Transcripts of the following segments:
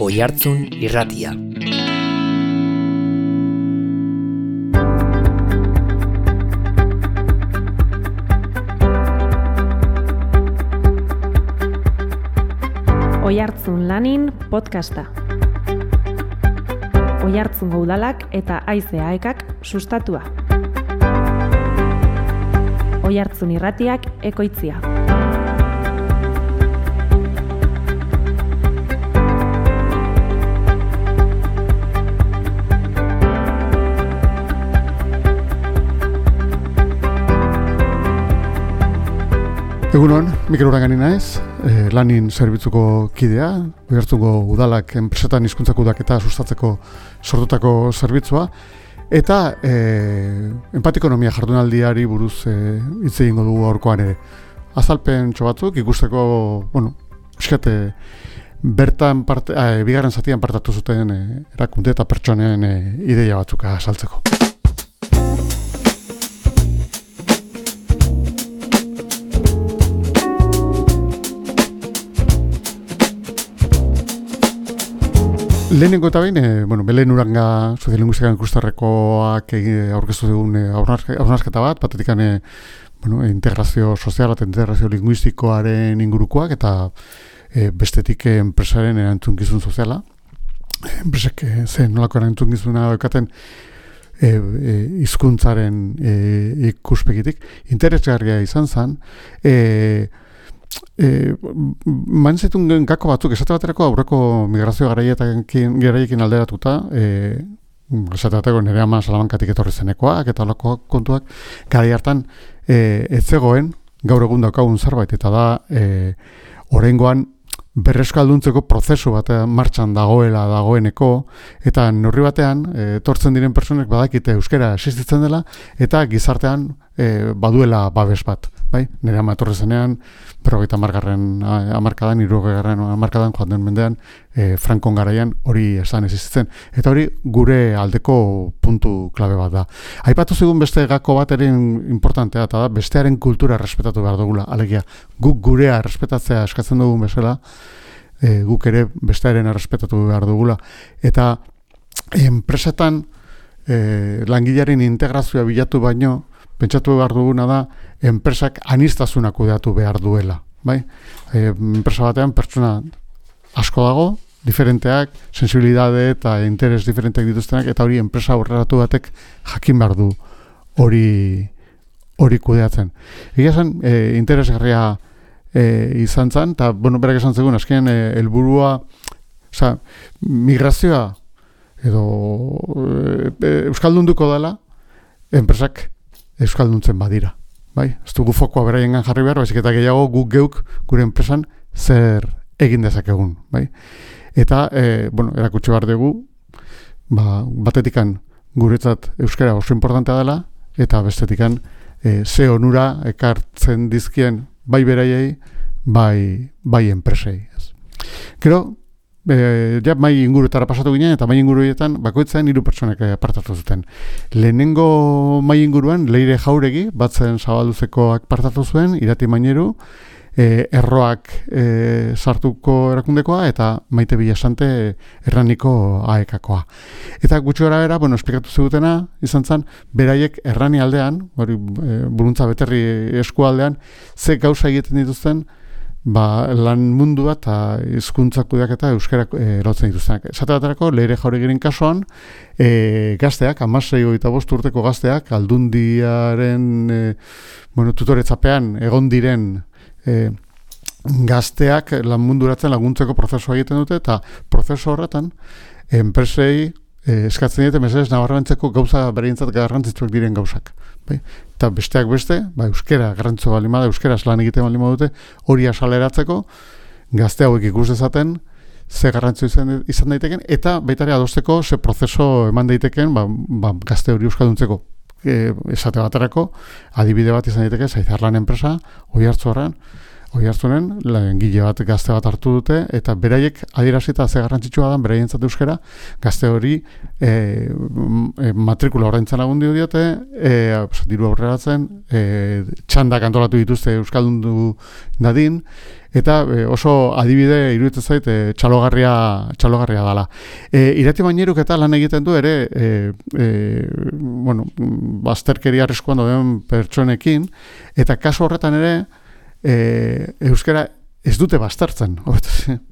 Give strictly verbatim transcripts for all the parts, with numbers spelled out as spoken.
Oihartzun Irratia. Oihartzun Lanin podcasta. Oihartzungo udalak eta haize aekak sustatua. Oihartzun Irratiak ekoitzia. Egunon, Mikel Urangani naiz, eh, Lanin zerbitzuko kidea, Oihartzungo udalak enpresetan hizkuntza kudeaketa sustatzeko sortutako zerbitzua, eta eh, empatikonomia jardunaldiari buruz eh, hitz egingo dugu gaurkoan ere. Azalpen batzuk ikusteko, bueno, eskate bertan parte, eh, bigarren zatian partatu zuten eh, erakunde eta pertsonen eh, ideia batzuk azaltzeko. Lehenengo eta behin, e, bueno, Belen Uranga soziolinguistika ikustarrekoak aurkeztu dugun e, hausnarketa bat, batetikan e, bueno, integrazio soziala eta integrazio linguistikoaren ingurukoak, eta e, bestetik e, enpresaren erantzunkizun soziala. Enpresek e, zen nolako erantzunkizuna daukaten e, e, hizkuntzaren e, ikuspegitik. Interesgarria izan zen, e, E, man zitun gako batzuk, esate baterako aurreko migrazio garaiekin, garaiekin alderatuta, e, esate baterako nire ama Salamankatik etorri zenekoak, eta olako kontuak, garai hartan e, ez zegoen, gaur egun daukagun zerbait, eta da, e, oraingoan berreskalduntzeko prozesu bat martxan dagoela dagoeneko, eta neurri batean, e, etortzen diren personek badakite euskara existitzen dela, eta gizartean e, baduela babes bat. Bai, nire ama etorri zenean, berrogeita hamargarren hamarkadan, hirurogegarren hamarkadan, joan den mendean, e, Frankon garaian hori esan existitzen. Eta hori gure aldeko puntu klabe bat da. Aipatu zigun beste gako bat ere importantea, eta da bestearen kultura respetatu behar dugula. Alegia, guk gurea respetatzea eskatzen dugun bezala, e, guk ere bestearen respetatu behar dugula. Eta enpresetan e, langilearen integrazioa bilatu baino, pentsatu behar duguna da, enpresak aniztasuna kudeatu behar duela. Bai? E, enpresa batean pertsona asko dago, diferenteak, sensibilidade eta interes diferenteak dituztenak, eta hori enpresa aurreratu batek jakin behar du hori, hori kudeatzen. Egia zen, e, interesgarria e, izan zen, eta bueno, berak esan zegoen, azkenean e, helburua, oza, migrazioa edo e, euskaldunduko dela, enpresak euskalduntzen badira, bai? Ez dugu fokoa beraiengan jarri behar, baizik eta gehiago guk geuk gure enpresan zer egin dezakegun, bai? Eta, e, bueno, erakutsi behar dugu, ba, batetikan guretzat euskara oso importantea dela, eta bestetikan e, ze onura ekartzen dizkien bai beraiei, bai, bai enpresei. Gero, E, ja, mai inguruetara pasatu ginen, eta mai inguruetan bakoitzen hiru pertsonek apartatu zuten. Lehenengo mai inguruan, Leire Jauregi, batzen Zabalduzekoak partatu zuen, Irati Maineru, e, Erroak e, sartuko erakundekoa, eta Maite Bilasante Erraniko aekakoa. Eta gutxi gara era, bueno, esplikatu zigutena, izan zen, beraiek Errani aldean, hori e, Buruntza Beterri eskualdean, ze gauza egiten dituzten, ba, lan mundua eta hizkuntza kudeaketa euskara erotzen dituztenak. Esate baterako, Leire Jauregiren kasuan, e, gazteak, hamasei hogeita bost urteko gazteak, aldundiaren e, bueno, tutoretzapean egon diren e, gazteak lan munduratzen laguntzeko prozesua egiten dute, eta prozesu horretan, enpresei e, eskatzen dute mesedez nabarmentzeko gauza bereintzat garrantzitsuak diren gauzak. Bai? Eta besteak beste, ba, euskera garrantzua balima da, euskera lan egiten balima dute, hori asaleratzeko, gazte hauek ikus dezaten, ze garrantzua izan, izan daiteken, eta baita ere adosteko ze prozeso eman daiteken, ba, ba, gazte hori euskalduntzeko. E, esate baterako, adibide bat izan daiteke, Zaizarlan enpresa, Oihartzunarran, Oiartzunen, langile bat gazte bat hartu dute, eta beraiek adierazita ze garrantzitsua da, beraientzat euskara, gazte hori e, e, matrikula ordaintzen lagundu diote, e, diru aurreratzen, e, txandak antolatu dituzte euskaldundu dadin, eta e, oso adibide iruditzen zait e, txalogarria, txalogarria dela. E, Irati Maineruk eta lan egiten du ere, e, e, bueno, bazterkeria arriskuan dauden pertsonekin, eta kasu horretan ere, E, euskara ez dute bastartzen,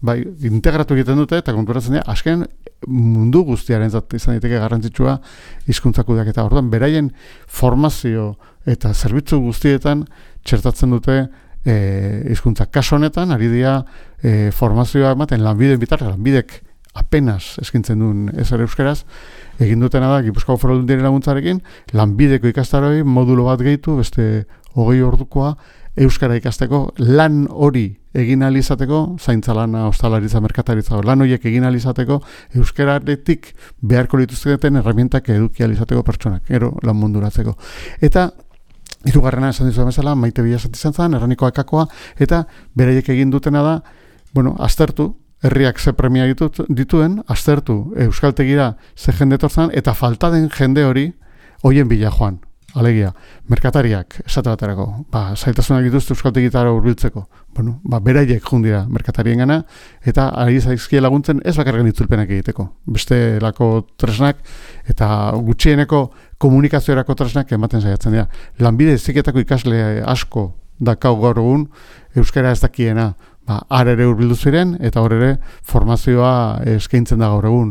bai, integratu egiten dute eta konturatzen dira, azken mundu guztiaren zat izan daiteke garrantzitsua hizkuntza kudeaketa. Orduan, beraien formazio eta zerbitzu guztietan txertatzen dute e, hizkuntza. Kasu honetan, ari dira e, formazioa ematen lanbideen bitartez, lanbidek apenas eskintzen duen ezer euskaraz, egin dutena da, Gipuzkoako Foru Aldundiaren laguntzarekin, lanbideko ikastaroi modulo bat gehitu, beste hogei ordukoa, euskara ikasteko, lan hori egin ahal izateko, zaintza lana, ostalaritza, merkataritza, lan horiek egin ahal izateko, euskararetik beharko lituzketen herramientak eduki ahal izateko pertsonak, ero lan munduratzeko. Eta hirugarrena esan dizu bezala, Maite Bilasat izan zen, Erraniko Akakoa, eta beraiek egin dutena da, bueno, aztertu, herriak ze premia ditut, dituen, aztertu euskaltegira ze jende etortzen, eta falta den jende hori hoien bila joan. Alegia, merkatariak, esate baterako, ba, zailtasunak dituzte euskaltegitara hurbiltzeko. Bueno, ba, beraiek jundira merkatarien gana, eta ari zaizkie laguntzen ez bakarren itzulpenak egiteko. Beste lako tresnak, eta gutxieneko komunikaziorako tresnak ematen saiatzen dira. Lanbide heziketako ikasle asko dakau gaur egun, euskara ez dakiena, ba, har ere hurbildu ziren, eta hor ere formazioa eskaintzen da gaur egun.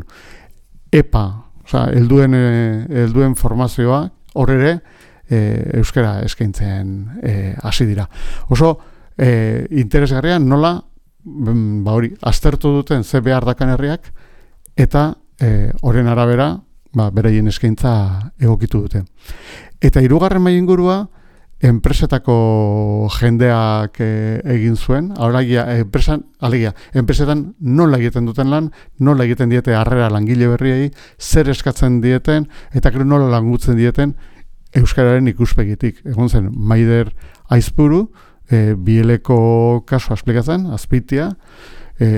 EPA, oza, helduen, helduen formazioa, hor ere, e, euskara eskaintzen hasi e, dira. Oso e, interesgarria nola, ba hori, aztertu duten ze behar dakan herriak, eta horren e, arabera, ba, beraien eskaintza egokitu dute. Eta hirugarren maila ingurua, enpresetako jendeak e, egin zuen, alegia, enpresan, alegia, enpresetan nola egiten duten lan, nola egiten diete harrera langile berriei, zer eskatzen dieten, eta gero nola langutzen dieten euskararen ikuspegitik. Egon zen, Maider Aizpuru, e, bieleko kasua esplikatzen, Azpitia, e,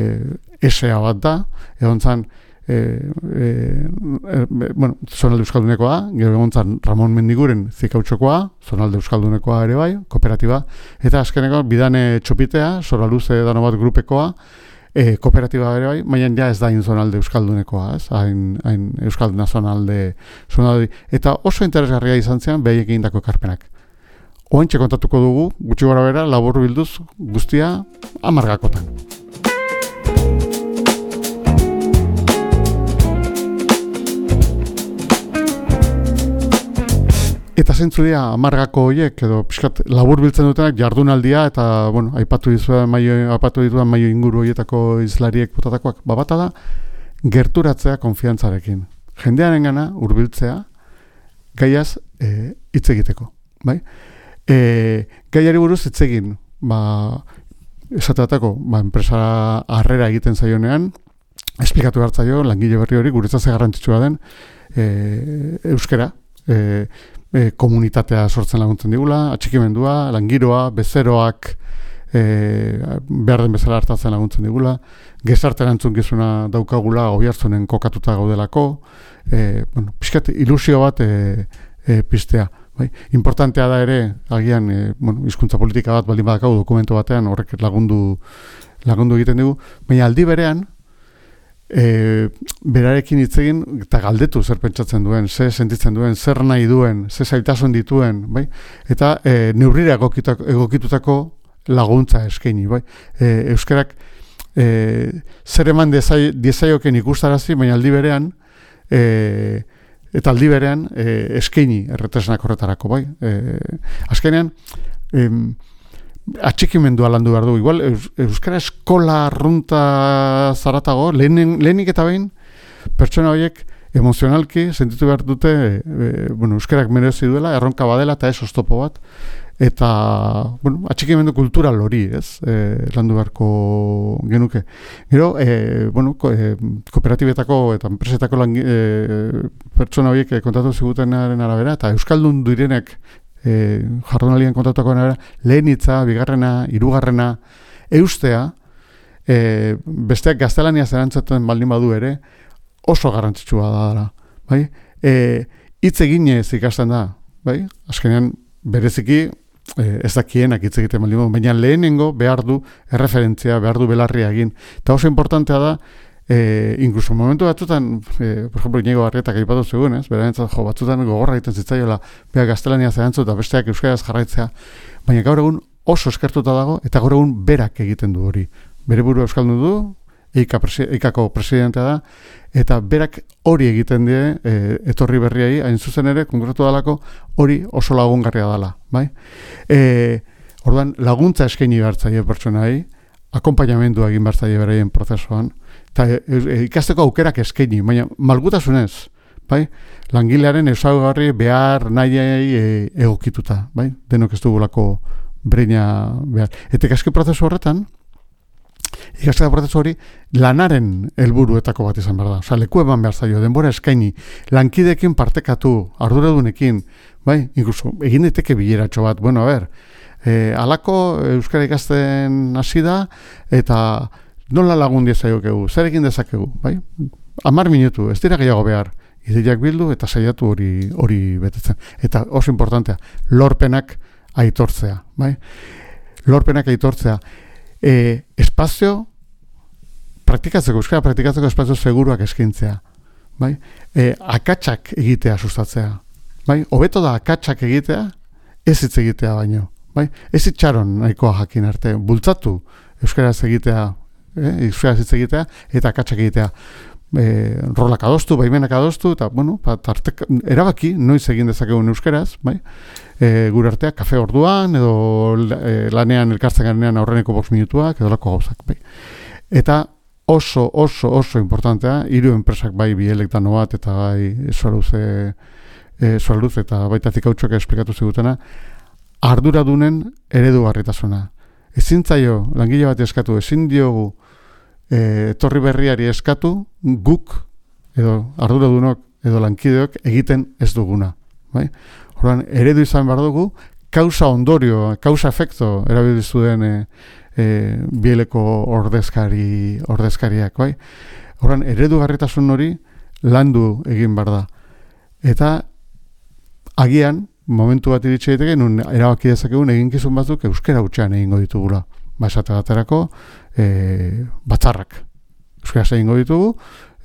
esea bat da, egon zen, E, e, e, bueno, zonalde euskaldunekoa, gero egontzan Ramon Mendiguren zikautxokoa, zonalde euskaldunekoa ere bai, kooperatiba, eta azkeneko bidane txopitea, Soraluze dano bat grupekoa, e, kooperatiba ere bai, baina ja ez da hain zonalde euskaldunekoa, ez, hain, hain euskalduna zonalde, zonalde, eta oso interesgarria izan zean behaik egindako ekarpenak. Oantxe kontatuko dugu, gutxi gora bera, labur bilduz guztia amargakotan. Eta zeintzu dira amargako horiek, edo pixkat labur biltzen dutenak jardunaldia, eta, bueno, aipatu dituen maio, aipatu dituen maio inguru horietako izlariek botatakoak, babata da, gerturatzea konfiantzarekin. Jendearen gana, hurbiltzea, gaiaz e, hitz egiteko, bai? E, gaiari buruz hitz egin, ba, esateatako, ba, enpresa harrera egiten zaionean, esplikatu hartzaio, langile berri hori, guretzat ze garrantzitsua den, e, euskara, e, E, komunitatea sortzen laguntzen digula, atxikimendua, langiroa, bezeroak e, behar den bezala hartatzen laguntzen digula, gezarte erantzukizuna daukagula Oiartzunen kokatuta gaudelako, e, bueno, pixkat ilusio bat e, e, piztea. Bai? Importantea da ere, agian, e, bueno, hizkuntza politika bat baldin badakau dokumentu batean, horrek lagundu, lagundu egiten dugu, baina aldi berean, E, berarekin hitz egin eta galdetu zer pentsatzen duen, zer sentitzen duen, zer nahi duen, zer zailtasun dituen, bai? Eta e, neurrira egokitutako laguntza eskaini, bai? E, euskarak e, zer eman diezaioken ikustarazi, baina aldi berean e, eta aldi berean e, eskaini erretresnak horretarako, bai? E, azkenean e, atxikimendua landu behar du. Igual, euskara eskola arrunta zaratago, lehen, lehenik eta behin, pertsona horiek emozionalki sentitu behar dute, e, bueno, euskarak merezi duela, erronka badela eta ez oztopo bat, eta, bueno, atxikimendu kultural hori, ez, e, landu beharko genuke. Gero, e, bueno, ko, e, kooperatibetako eta enpresetako langi, e, pertsona horiek kontatu zigutenaren arabera, eta euskaldun direnek e, jardunaldian kontatuko nara, lehen hitza, bigarrena, hirugarrena, eustea, e, besteak gaztelania zerantzaten baldin badu ere, oso garrantzitsua da dara. Bai? E, hitz eginez ikasten da, bai? Azkenean bereziki e, ez dakienak hitz egiten baldin badu, baina lehenengo behar du erreferentzia, behar du belarria egin. Eta oso importantea da, e, incluso momentu batzutan, e, por ejemplo, Iñigo Arrietak aipatu zegoen, ez? Berantzat, jo, batzutan gogorra egiten zitzaiola, beha gaztelania zerantzu eta besteak euskaraz jarraitzea, baina gaur egun oso eskertuta dago, eta gaur egun berak egiten du hori. Bere buru euskaldun du, eikako presidentea da, eta berak hori egiten die, e, etorri berriai, hain zuzen ere, konkretu dalako, hori oso lagungarria dela, bai? E, orduan, laguntza eskaini bertzaile pertsonai, akompainamendu egin bertzaile beraien prozesuan, eta e, e, ikasteko aukerak eskaini, baina malgutasunez, bai? Langilearen ezaugarri behar nahiei e, egokituta, bai? Denok ez dugulako breina behar. Eta ikaske prozesu horretan, ikasketa prozesu hori lanaren helburuetako bat izan behar da. Osa, leku eman behar zaio, denbora eskaini, lankideekin partekatu, arduradunekin, bai? Incluso, egin daiteke bileratxo bat, bueno, a ber, e, alako euskara ikasten hasi da, eta nola lagun diezaiokegu, zer egin dezakegu, bai? Hamar minutu, ez dira gehiago behar, ideiak bildu eta saiatu hori hori betetzen. Eta oso importantea, lorpenak aitortzea, bai? Lorpenak aitortzea. E, espazio praktikatzeko, euskara praktikatzeko espazio seguruak eskintzea, bai? E, akatsak egitea sustatzea, bai? Hobeto da akatsak egitea, ez hitz egitea baino, bai? Ez itxaron nahikoa jakin arte, bultzatu euskaraz egitea, eh? euskaraz hitz egitea, eta akatsak egitea. E, rolak adostu, baimenak adostu, eta, bueno, tartek, erabaki, noiz egin dezakegun euskaraz, bai? E, gure artea, kafe orduan, edo e, lanean elkartzen garenean aurreneko bost minutuak, edo lako gauzak, bai? Eta oso, oso, oso importantea, hiru enpresak bai bielek dano bat, eta bai Suaruz, e, Suaruz eta baita Zikautxoak esplikatu zigutena, arduradunen eredugarritasuna. Ezin zaio, langile bat eskatu, ezin diogu E, torri berriari eskatu, guk, edo arduradunok, edo lankideok egiten ez duguna. Bai? Horren, eredu izan behar dugu, kausa ondorio, kausa efekto erabilizu den e, e, bieleko ordezkari, ordezkariak. Bai? Horren, eredu garritasun hori landu egin behar da. Eta agian, momentu bat iritsi daiteke, nun erabaki dezakegun eginkizun batzuk euskara hutsean egingo ditugula. Ba, esate baterako, e, batzarrak. Euskaraz egingo ditugu,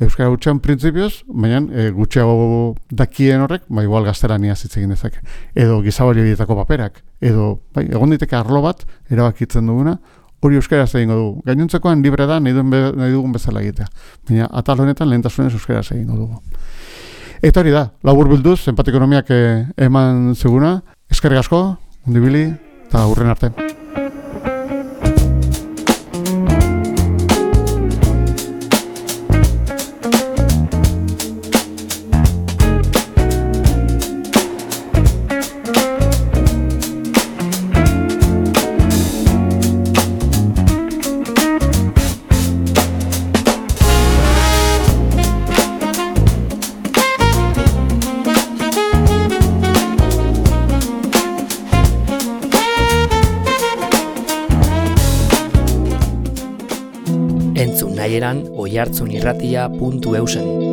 euskara hutsean printzipioz, baina e, gutxiago dakien horrek, ba, igual gaztelania hitz egin dezake. Edo gizabari horietako paperak. Edo, bai, egon diteke arlo bat, erabakitzen duguna, hori euskaraz egingo dugu. Gainontzekoan libre da, nahi, duen be, nahi dugun bezala egitea. Baina, atal honetan lehentasunez euskaraz egingo dugu. Eta hori da, labur bilduz, empatikonomiak e, eman zeguna, eskerrik asko, ondibili, eta hurren arte. Entzun nahieran oihartzunirratia puntu eusen.